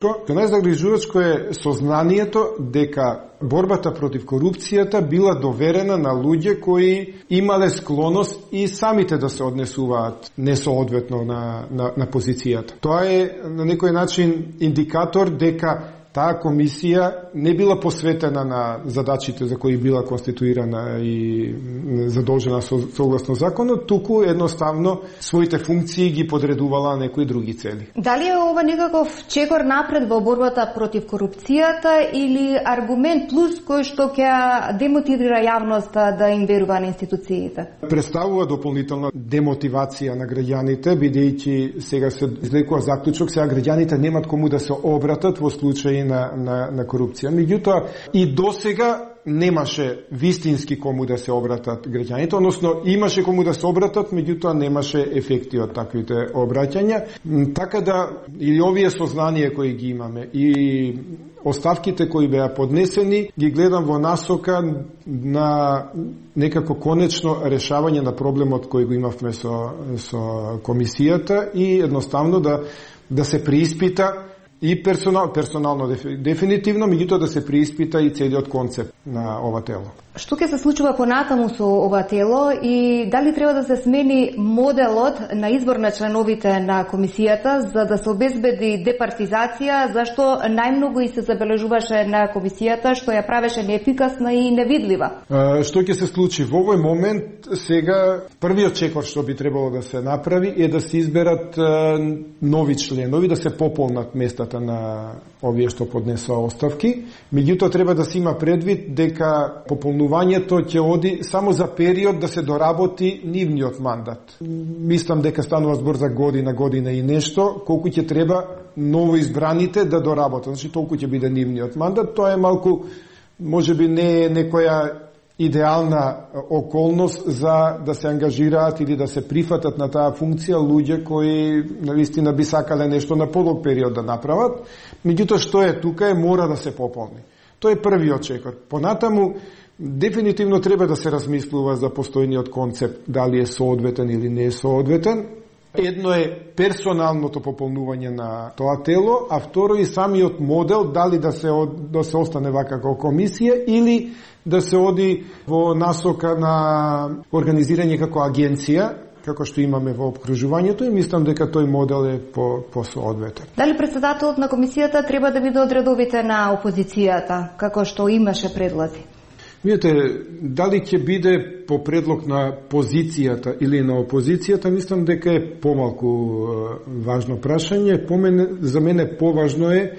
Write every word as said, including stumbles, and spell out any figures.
Што најзагрижувачко е сознанието дека борбата против корупцијата била доверена на луѓе кои имале склоност и самите да се однесуваат несоодветно на, на, на позицијата. Тоа е на некој начин индикатор дека таа комисија не била посветена на задачите за кои била конституирана и задолжена со, согласно законот, туку едноставно своите функции ги подредувала на некои други цели. Дали е ова некаков чекор напред во борбата против корупцијата или аргумент плюс кој што ќе демотивира јавноста да им верува на институциите? Представува дополнителна демотивација на граѓаните, бидејќи сега се излекува заклучок, сега граѓаните немат кому да се обратат во случај на, на, на корупција. Меѓутоа, и досега немаше вистински кому да се обратат граѓаните, односно имаше кому да се обратат, меѓутоа немаше ефекти од таквите обраќања. Така да, и овие сознанија кои ги имаме, и оставките кои беа поднесени, ги гледам во насока на некако конечно решавање на проблемот кој го имавме со, со комисијата и едноставно да, да се преиспита и персонал, персонално дефинитивно, меѓутоа да се преиспита и целиот концепт на ова тело. Што ќе се случува понатаму со ова тело и дали треба да се смени моделот на избор на членовите на комисијата за да се обезбеди департизација, зашто најмногу и се забележуваше на комисијата што ја правеше неефикасна и невидлива? А, што ќе се случи во овој момент? Сега првиот чекор што би требало да се направи е да се изберат а, нови членови, да се пополнат местата на овие што поднесоа оставки. Меѓутоа треба да се има предвид дека пополнувањето ќе оди само за период да се доработи нивниот мандат. Мислам дека станува збор за година, година и нешто, колку ќе треба ново избраните да доработат. Значи толку ќе биде нивниот мандат. Тоа е малку, можеби не е некоја идеална околност за да се ангажираат или да се прифатат на таа функција луѓе кои навистина би сакале нешто на подолг период да направат. Меѓутоа што е тука е мора да се пополни. Тоа е првиот чекор. Понатаму дефинитивно треба да се размислува за постојниот концепт, дали е соодветен или не е соодветен. Едно е персоналното пополнување на тоа тело, а второ и самиот модел, дали да се, да се остане вака како комисија или да се оди во насока на организирање како агенција, како што имаме во обкружувањето, и мислам дека тој модел е по, по-соодветен. Дали председателот на комисијата треба да биде од редовите на опозицијата, како што имаше предлози? Видете, дали ќе биде по предлог на позицијата или на опозицијата, мислам дека е помалку важно прашање. По мене, за мене поважно е